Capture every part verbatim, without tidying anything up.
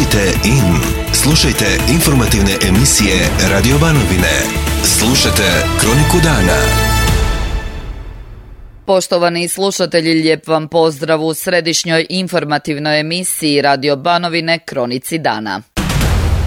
Budite in. Slušajte informativne emisije Radio Banovine. Slušajte Kroniku dana. Poštovani slušatelji, lijep vam pozdrav u središnjoj informativnoj emisiji Radio Banovine Kronici dana.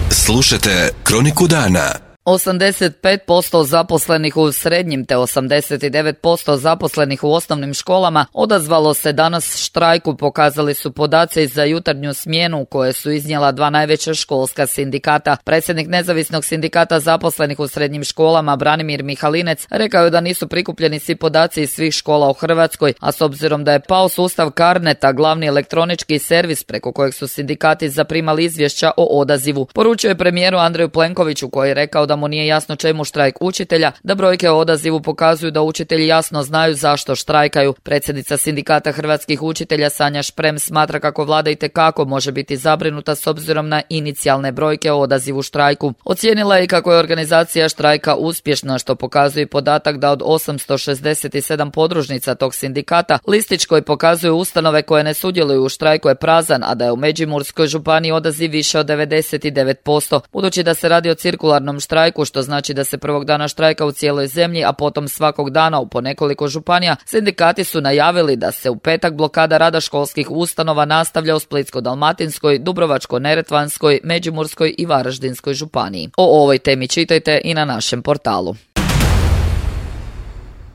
Slušajte Kroniku dana. osamdeset pet posto zaposlenih u srednjim te osamdeset devet posto zaposlenih u osnovnim školama odazvalo se danas štrajku, pokazali su podaci za jutarnju smjenu koje su iznijela dva najveća školska sindikata. Predsjednik Nezavisnog sindikata zaposlenih u srednjim školama Branimir Mihalinec rekao je da nisu prikupljeni svi podaci iz svih škola u Hrvatskoj, a s obzirom da je pao sustav Carneta, glavni elektronički servis preko kojeg su sindikati zaprimali izvješća o odazivu. Poručio je premijeru Andreju Plenkoviću koji je rekao da mu nije jasno čemu štrajk učitelja, da brojke o odazivu pokazuju da učitelji jasno znaju zašto štrajkaju. Predsjednica sindikata hrvatskih učitelja Sanja Šprem smatra kako vlada itekako može biti zabrinuta s obzirom na inicijalne brojke o odazivu štrajku. Ocijenila je i kako je organizacija štrajka uspješna, što pokazuje i podatak da od osamsto šezdeset sedam podružnica tog sindikata listić koji pokazuje ustanove koje ne sudjeluju u štrajku je prazan, a da je u Međimurskoj županiji odaziv više od devedeset devet posto. Budući da se radi o cirkularnom štrajku, što znači da se prvog dana štrajka u cijeloj zemlji, a potom svakog dana u po nekoliko županija, sindikati su najavili da se u petak blokada rada školskih ustanova nastavlja u Splitsko-dalmatinskoj, Dubrovačko-neretvanskoj, Međimurskoj i Varaždinskoj županiji. O ovoj temi čitajte i na našem portalu.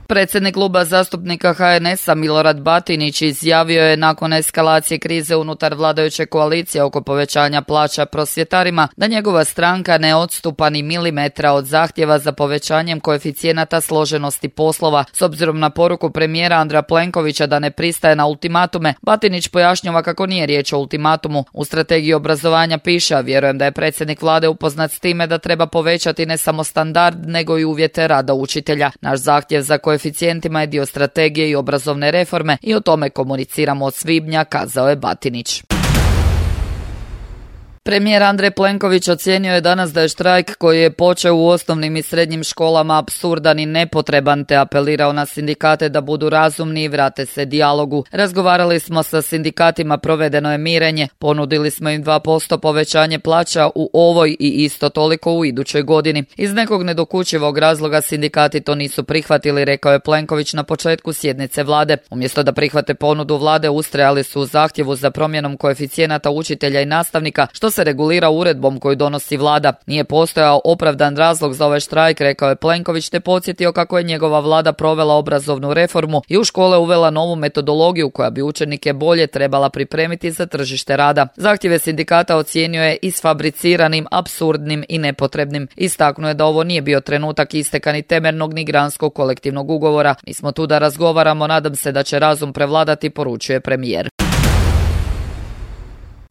Predsjednik kluba zastupnika H N S-a Milorad Batinić izjavio je nakon eskalacije krize unutar vladajuće koalicije oko povećanja plaća prosvjetarima da njegova stranka ne odstupa ni milimetra od zahtjeva za povećanjem koeficijenata složenosti poslova. S obzirom na poruku premijera Andreja Plenkovića da ne pristaje na ultimatume, Batinić pojašnjava kako nije riječ o ultimatumu. U strategiji obrazovanja piše, a vjerujem da je predsjednik vlade upoznat s time da treba povećati ne samo standard, nego i uvjete rada učitelja. Naš zahtjev za koeficijentima je dio strategije i obrazovne reforme i o tome komuniciramo od svibnja, kazao je Batinić. Premijer Andrej Plenković ocijenio je danas da je štrajk koji je počeo u osnovnim i srednjim školama apsurdan i nepotreban, te apelirao na sindikate da budu razumni i vrate se dijalogu. Razgovarali smo sa sindikatima, provedeno je mirenje, ponudili smo im dva posto povećanje plaća u ovoj i isto toliko u idućoj godini. Iz nekog nedokučivog razloga sindikati to nisu prihvatili, rekao je Plenković na početku sjednice vlade. Umjesto da prihvate ponudu vlade, ustrajali su u zahtjevu za promjenom koeficijenata učitelja i nastavnika, što se regulira uredbom koju donosi vlada. Nije postojao opravdan razlog za ovaj štrajk, rekao je Plenković, te podsjetio kako je njegova vlada provela obrazovnu reformu i u škole uvela novu metodologiju koja bi učenike bolje trebala pripremiti za tržište rada. Zahtjeve sindikata ocijenio je isfabriciranim, apsurdnim i nepotrebnim. Istaknuo je da ovo nije bio trenutak isteka ni temeljnog ni granskog kolektivnog ugovora. Mi smo tu da razgovaramo, nadam se da će razum prevladati, poručuje premijer.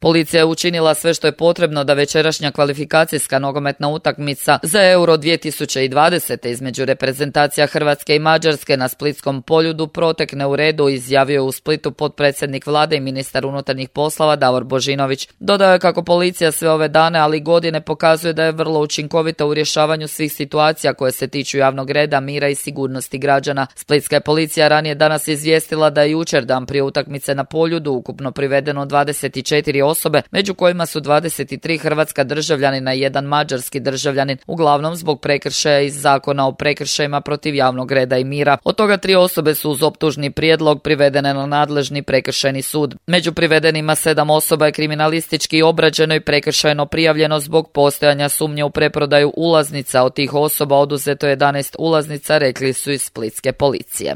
Policija je učinila sve što je potrebno da večerašnja kvalifikacijska nogometna utakmica za Euro dvije tisuće dvadeset između reprezentacija Hrvatske i Mađarske na Splitskom poljudu protekne u redu, izjavio je u Splitu potpredsjednik vlade i ministar unutarnjih poslova Davor Božinović. Dodao je kako policija sve ove dane, ali i godine pokazuje da je vrlo učinkovita u rješavanju svih situacija koje se tiču javnog reda, mira i sigurnosti građana. Splitska je policija ranije danas izvijestila da je jučer dan prije utakmice na poljudu ukupno privedeno dvadeset četiri osobe, među kojima su dvadeset tri hrvatska državljanina i jedan mađarski državljanin, uglavnom zbog prekršaja iz Zakona o prekršajima protiv javnog reda i mira. Od toga tri osobe su uz optužni prijedlog privedene na nadležni prekršajni sud. Među privedenima sedam osoba je kriminalistički obrađeno i prekršajno prijavljeno zbog postojanja sumnje u preprodaju ulaznica. Od tih osoba oduzeto jedanaest ulaznica, rekli su iz splitske policije.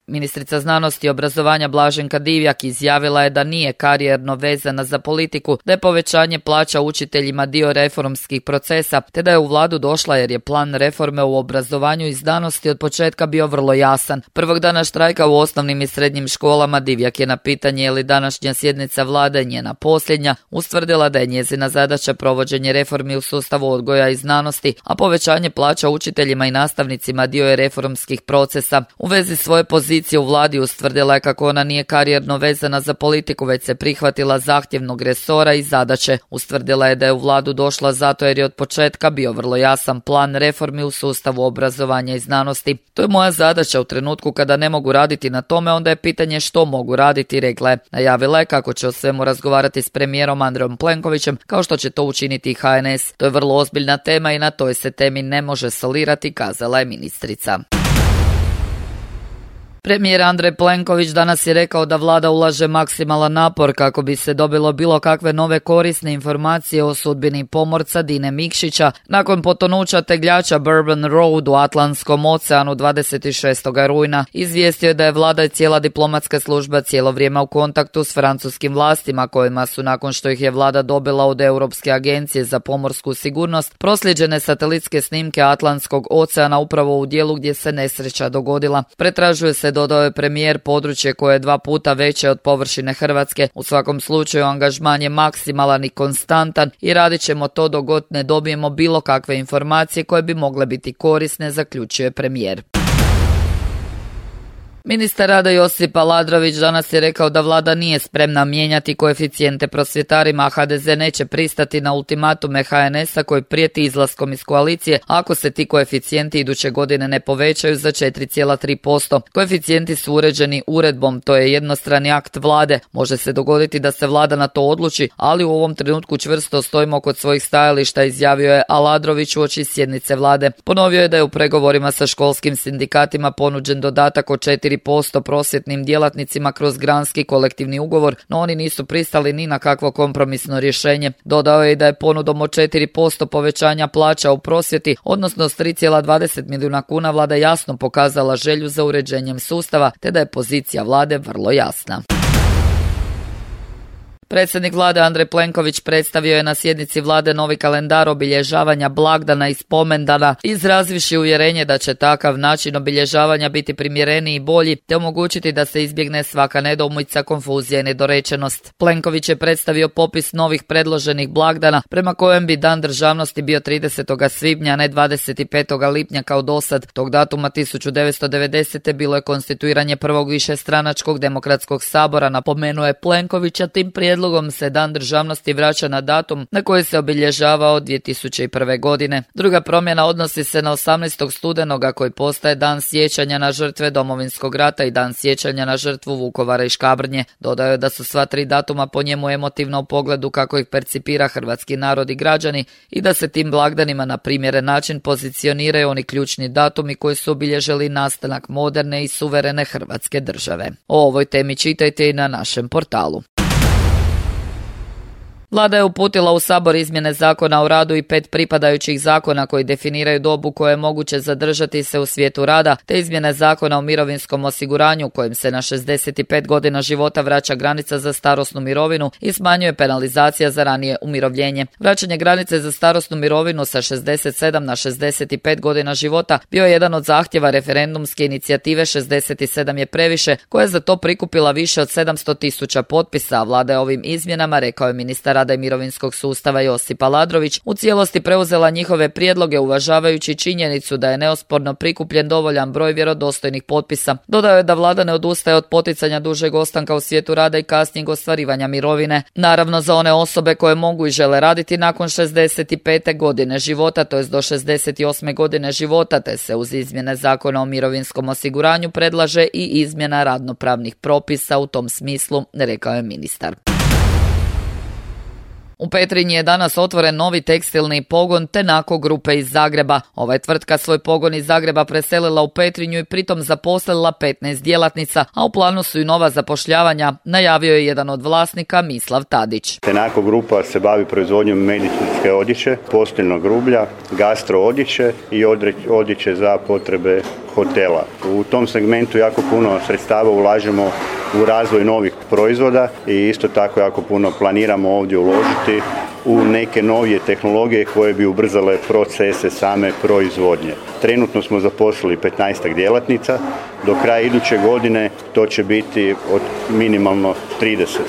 Ministrica znanosti i obrazovanja Blaženka Divjak izjavila je da nije karijerno vezana za politiku, da je povećanje plaća učiteljima dio reformskih procesa, te da je u vladu došla jer je plan reforme u obrazovanju i znanosti od početka bio vrlo jasan. Prvog dana štrajka u osnovnim i srednjim školama Divjak je na pitanje je li današnja sjednica vlade njena posljednja ustvrdila da je njezina zadaća provođenje reformi u sustavu odgoja i znanosti, a povećanje plaća učiteljima i nastavnicima dio je reformskih procesa. U vezi svoje pozicije pozicija u vladi ustvrdila je kako ona nije karijerno vezana za politiku, već se prihvatila zahtjevnog resora i zadaće. Ustvrdila je da je u vladu došla zato jer je od početka bio vrlo jasan plan reformi u sustavu obrazovanja i znanosti. To je moja zadaća u trenutku kada ne mogu raditi na tome, onda je pitanje što mogu raditi, rekla je. Najavila je kako će o svemu razgovarati s premijerom Andrejom Plenkovićem, kao što će to učiniti i H N S. To je vrlo ozbiljna tema i na toj se temi ne može solirati, kazala je ministrica. Premijer Andrej Plenković danas je rekao da vlada ulaže maksimalan napor kako bi se dobilo bilo kakve nove korisne informacije o sudbini pomorca Dine Mikšića nakon potonuća tegljača Bourbon Road u Atlantskom oceanu dvadeset šestog rujna. Izvijestio je da je vlada i cijela diplomatska služba cijelo vrijeme u kontaktu s francuskim vlastima, kojima su nakon što ih je vlada dobila od Europske agencije za pomorsku sigurnost proslijeđene satelitske snimke Atlantskog oceana upravo u dijelu gdje se nesreća dogodila. Pretražuje se, dodao je premijer, područje koje je dva puta veće od površine Hrvatske. U svakom slučaju angažman je maksimalan i konstantan i radit ćemo to dok god ne dobijemo bilo kakve informacije koje bi mogle biti korisne, zaključuje premijer. Ministar rada Josip Aladrović danas je rekao da vlada nije spremna mijenjati koeficijente prosvjetarima, a H D Z neće pristati na ultimatume H N S-a koji prijeti izlaskom iz koalicije ako se ti koeficijenti iduće godine ne povećaju za četiri zarez tri posto. Koeficijenti su uređeni uredbom, to je jednostrani akt vlade. Može se dogoditi da se vlada na to odluči, ali u ovom trenutku čvrsto stojimo kod svojih stajališta, izjavio je Aladrović uoči sjednice vlade. Ponovio je da je u pregovorima sa školskim sindikatima ponuđen dodatak od četiri posto prosvjetnim djelatnicima kroz granski kolektivni ugovor, no oni nisu pristali ni na kakvo kompromisno rješenje. Dodao je i da je ponudom od četiri posto povećanja plaća u prosvjeti, odnosno s tri zarez dvadeset milijuna kuna, vlada jasno pokazala želju za uređenjem sustava, te da je pozicija vlade vrlo jasna. Predsjednik vlade Andrej Plenković predstavio je na sjednici vlade novi kalendar obilježavanja blagdana i spomendana, izrazivši uvjerenje da će takav način obilježavanja biti primjereniji i bolji, te omogućiti da se izbjegne svaka nedoumica, konfuzija i nedorečenost. Plenković je predstavio popis novih predloženih blagdana, prema kojem bi Dan državnosti bio tridesetog svibnja, a ne dvadeset petog lipnja kao dosad. Tog datuma tisuću devetsto devedesete bilo je konstituiranje prvog višestranačkog demokratskog sabora, napomenuo je Plenković, a tim prijedlogom Prijedlogom se Dan državnosti vraća na datum na koji se obilježavao dvije tisuće prve. godine. Druga promjena odnosi se na osamnaestog studenoga koji postaje Dan sjećanja na žrtve Domovinskog rata i Dan sjećanja na žrtvu Vukovara i Škabrnje. Dodao je da su sva tri datuma po njemu emotivna u pogledu kako ih percipira hrvatski narod i građani i da se tim blagdanima na primjeren način pozicioniraju oni ključni datumi koji su obilježili nastanak moderne i suverene Hrvatske države. O ovoj temi čitajte i na našem portalu. Vlada je uputila u Sabor izmjene Zakona o radu i pet pripadajućih zakona koji definiraju dobu koje je moguće zadržati se u svijetu rada, te izmjene Zakona o mirovinskom osiguranju kojim se na šezdeset pet godina života vraća granica za starosnu mirovinu i smanjuje penalizacija za ranije umirovljenje. Vraćanje granice za starosnu mirovinu sa šezdeset sedam na šezdeset pet godina života bio je jedan od zahtjeva referendumske inicijative šezdeset sedam je previše, koja je za to prikupila više od sedamsto tisuća potpisa, a vlada je ovim izmjenama, rekao je ministar rada i mirovinskog sustava Josip Aladrović, u cijelosti preuzela njihove prijedloge uvažavajući činjenicu da je neosporno prikupljen dovoljan broj vjerodostojnih potpisa. Dodao je da vlada ne odustaje od poticanja dužeg ostanka u svijetu rada i kasnijeg ostvarivanja mirovine. Naravno za one osobe koje mogu i žele raditi nakon šezdeset pete godine života, to jest do šezdeset osme godine života, te se uz izmjene Zakona o mirovinskom osiguranju predlaže i izmjena radnopravnih propisa u tom smislu, rekao je ministar. U Petrinji je danas otvoren novi tekstilni pogon Tenako grupe iz Zagreba. Ova je tvrtka svoj pogon iz Zagreba preselila u Petrinju i pritom zaposlila petnaest djelatnica, a u planu su i nova zapošljavanja, najavio je jedan od vlasnika, Mislav Tadić. Tenako grupa se bavi proizvodnjom medicinske odjeće, posteljnog rublja, gastro odjeće i odjeće za potrebe hotela. U tom segmentu jako puno sredstava ulažemo u razvoj novih proizvoda i isto tako jako puno planiramo ovdje uložiti u neke novije tehnologije koje bi ubrzale procese same proizvodnje. Trenutno smo zaposlili petnaest djelatnica, do kraja iduće godine to će biti od minimalno trideset.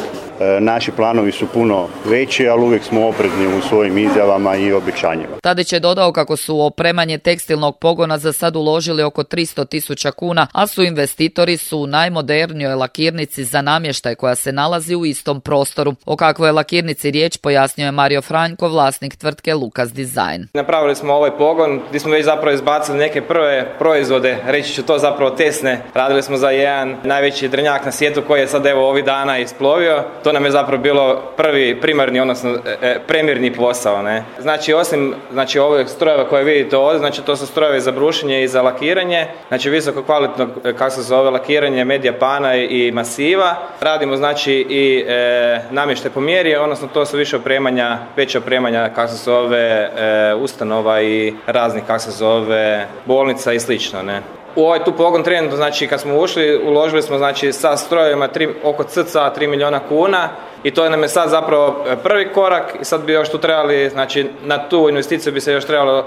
Naši planovi su puno veći, ali uvijek smo oprezni u svojim izjavama i obećanjima. Tadić je dodao kako su u opremanje tekstilnog pogona za sad uložili oko tristo tisuća kuna, a su investitori su u najmodernijoj lakirnici za namještaj koja se nalazi u istom prostoru. O kakvoj je lakirnici riječ pojasnio je Mario Franjko, vlasnik tvrtke Lukas Design. Napravili smo ovaj pogon gdje smo već zapravo izbacili neke prve proizvode, reći ću to zapravo tesne. Radili smo za jedan najveći drnjak na svijetu koji je sad evo ovih dana isplovio. To nam je zapravo bilo prvi primarni, odnosno e, premirni posao. Ne? Znači osim znači, ovih strojeva koje vidite ovdje, znači to su strojevi za brušenje i za lakiranje, znači visoko kvalitetno, kako se zove, lakiranje medija pana i masiva. Radimo znači i e, namještaj po mjeri, odnosno to su više opremanja, veće opremanja, kako se zove, e, ustanova i raznih, kako se zove, bolnica i slično, ne. U ovaj tu pogon trenutno, znači kad smo ušli, uložili smo znači sa strojevima tri, oko cca tri milijuna kuna i to nam je sad zapravo prvi korak i sad bi još tu trebali, znači na tu investiciju bi se još trebalo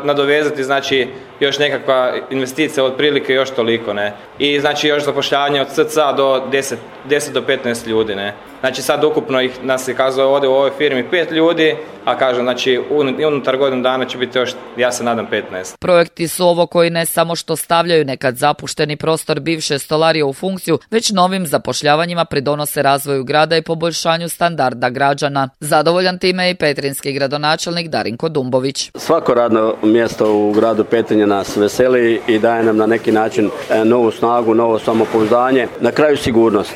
nadovezati, znači još nekakva investicija otprilike još toliko, ne. I znači još zapošljavanje od cca do deset do petnaest ljudi, ne. Znači sad ukupno ih nas je kazao ovdje u ovoj firmi pet ljudi, a kažem znači unutar godinu dana će biti još, ja se nadam, petnaest. Projekti su ovo koji ne samo što stavljaju nekad zapušteni prostor bivše stolarije u funkciju, već novim zapošljavanjima pridonose razvoju grada i poboljšanju standarda građana. Zadovoljan time je i petrinjski gradonačelnik Darinko Dumbović. Svako radno mjesto u gradu Petrinje nas veseli i daje nam na neki način novu snagu, novo samopouzdanje. Na kraju sigurnost.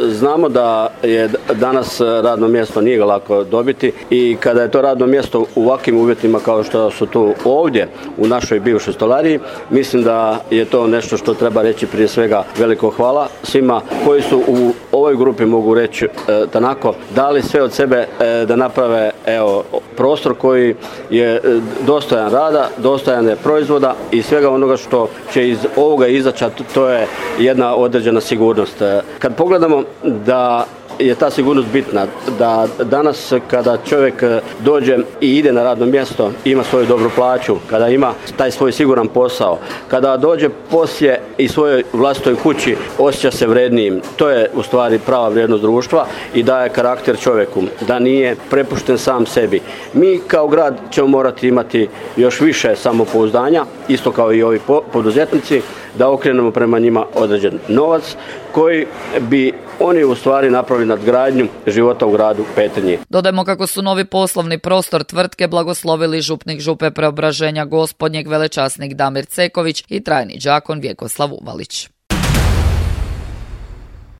Znamo da je danas radno mjesto nije ga lako dobiti i kada je to radno mjesto u ovakvim uvjetima kao što su tu ovdje u našoj bivšoj stolariji, mislim da je to nešto što treba reći prije svega veliko hvala svima koji su u ovoj grupi, mogu reći e, tanako, dali sve od sebe e, da naprave evo, prostor koji je e, dostojan rada, dostojan je proizvoda i svega onoga što će iz ovoga izaći, to je jedna određena sigurnost. E, kad pogledamo da je ta sigurnost bitna, da danas kada čovjek dođe i ide na radno mjesto, ima svoju dobru plaću, kada ima taj svoj siguran posao, kada dođe poslije i svojoj vlastitoj kući, osjeća se vrednijim. To je u stvari prava vrijednost društva i daje karakter čovjeku, da nije prepušten sam sebi. Mi kao grad ćemo morati imati još više samopouzdanja, isto kao i ovi poduzetnici, da okrenemo prema njima određen novac koji bi oni u stvari napravili nadgradnju života u gradu Petrinje. Dodajmo kako su novi poslovni prostor tvrtke blagoslovili župnik Župe Preobraženja Gospodnjeg velečasnik Damir Ceković i trajni đakon Vjekoslav Uvalić.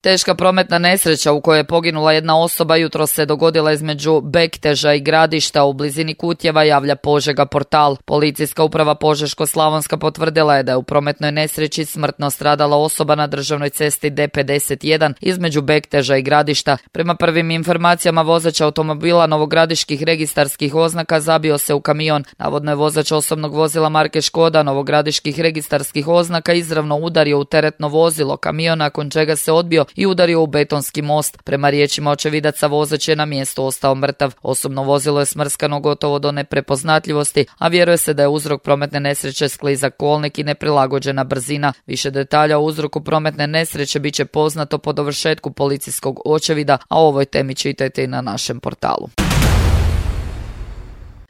Teška prometna nesreća u kojoj je poginula jedna osoba jutros se dogodila između Bekteža i Gradišta u blizini Kutjeva, javlja Požega portal. Policijska uprava Požeško-slavonska potvrdila je da je u prometnoj nesreći smrtno stradala osoba na državnoj cesti D pedeset jedan između Bekteža i Gradišta. Prema prvim informacijama vozač automobila novogradiških registarskih oznaka zabio se u kamion. Navodno je vozač osobnog vozila marke Škoda novogradiških registarskih oznaka izravno udario u teretno vozilo kamiona, nakon čega se odbio i udario u betonski most. Prema riječima očevidaca, vozač je na mjestu ostao mrtav. Osobno vozilo je smrskano gotovo do neprepoznatljivosti, a vjeruje se da je uzrok prometne nesreće sklizak kolnik i neprilagođena brzina. Više detalja o uzroku prometne nesreće bit će poznato po dovršetku policijskog očevida, a o ovoj temi čitajte i na našem portalu.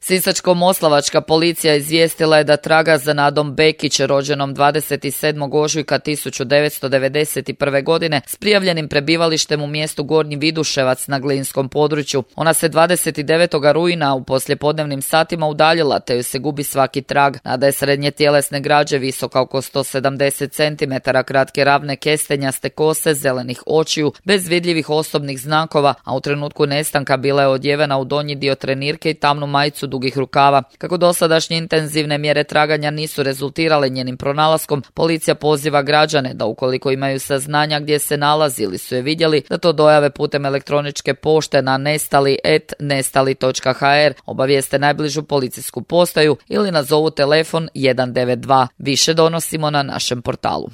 Sisačko-moslavačka policija izvijestila je da traga za Nadom Bekić, rođenom dvadeset sedmog ožujka tisuću devetsto devedeset prve. godine, s prijavljenim prebivalištem u mjestu Gornji Viduševac na Glinskom području. Ona se dvadeset devetog rujna u poslijepodnevnim satima udaljila, te joj se gubi svaki trag. Nada je srednje tjelesne građe, visoka oko sto sedamdeset centimetara, kratke ravne kestenjaste kose, zelenih očiju, bez vidljivih osobnih znakova, a u trenutku nestanka bila je odjevena u donji dio trenirke i tamnu majicu dugih rukava. Kako dosadašnje intenzivne mjere traganja nisu rezultirale njenim pronalaskom, policija poziva građane da ukoliko imaju saznanja gdje se nalazi ili su je vidjeli, da to dojave putem elektroničke pošte na nestali et nestali točka ha er, obavijeste najbližu policijsku postaju ili nazovu telefon jedan devet dva. Više donosimo na našem portalu.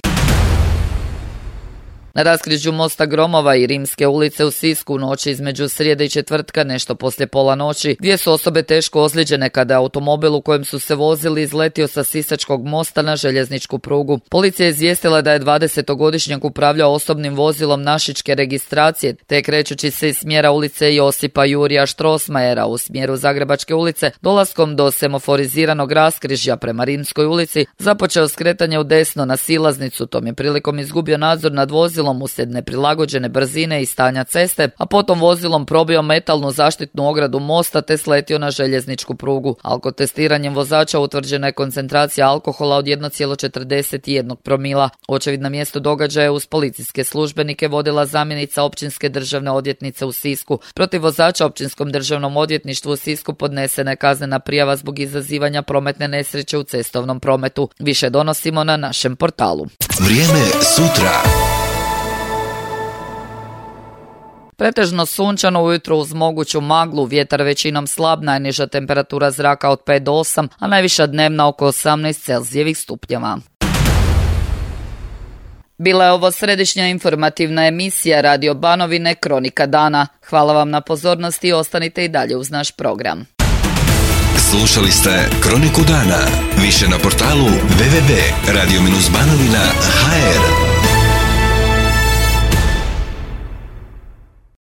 Na raskrižju mosta Gromova i Rimske ulice u Sisku u noći između srijede i četvrtka nešto poslije pola noći dvije su osobe teško ozlijeđene kada je automobil u kojem su se vozili izletio sa Sisačkog mosta na željezničku prugu. Policija je izvijestila da je dvadesetogodišnjak upravljao osobnim vozilom našičke registracije te krećući se iz smjera ulice Josipa Jurija Štrosmajera u smjeru Zagrebačke ulice dolaskom do semaforiziranog raskrižja prema Rimskoj ulici započeo skretanje u desno na silaznicu, tom je prilikom izgubio nadzor nad vozilom uslijed neprilagođene brzine i stanja ceste, a potom vozilom probio metalnu zaštitnu ogradu mosta te sletio na željezničku prugu. Alkotestiranjem vozača utvrđena je koncentracija alkohola od jedan zarez četrdeset jedan promila. Očevid na mjestu događaja uz policijske službenike vodila zamjenica općinske državne odvjetnice u Sisku. Protiv vozača općinskom državnom odvjetništvu u Sisku podnesena je kaznena prijava zbog izazivanja prometne nesreće u cestovnom prometu. Više donosimo na našem portalu. Vrijeme sutra. Pretežno sunčano ujutro uz moguću maglu, vjetar većinom slab, najniža temperatura zraka od pet do osam, a najviša dnevna oko osamnaest Celzijevih stupnjeva. Bila je ovo središnja informativna emisija Radio Banovine Kronika dana. Hvala vam na pozornosti i ostanite i dalje uz naš program. Slušali ste Kroniku dana. Više na portalu w w w tačka radio banovina tačka h r.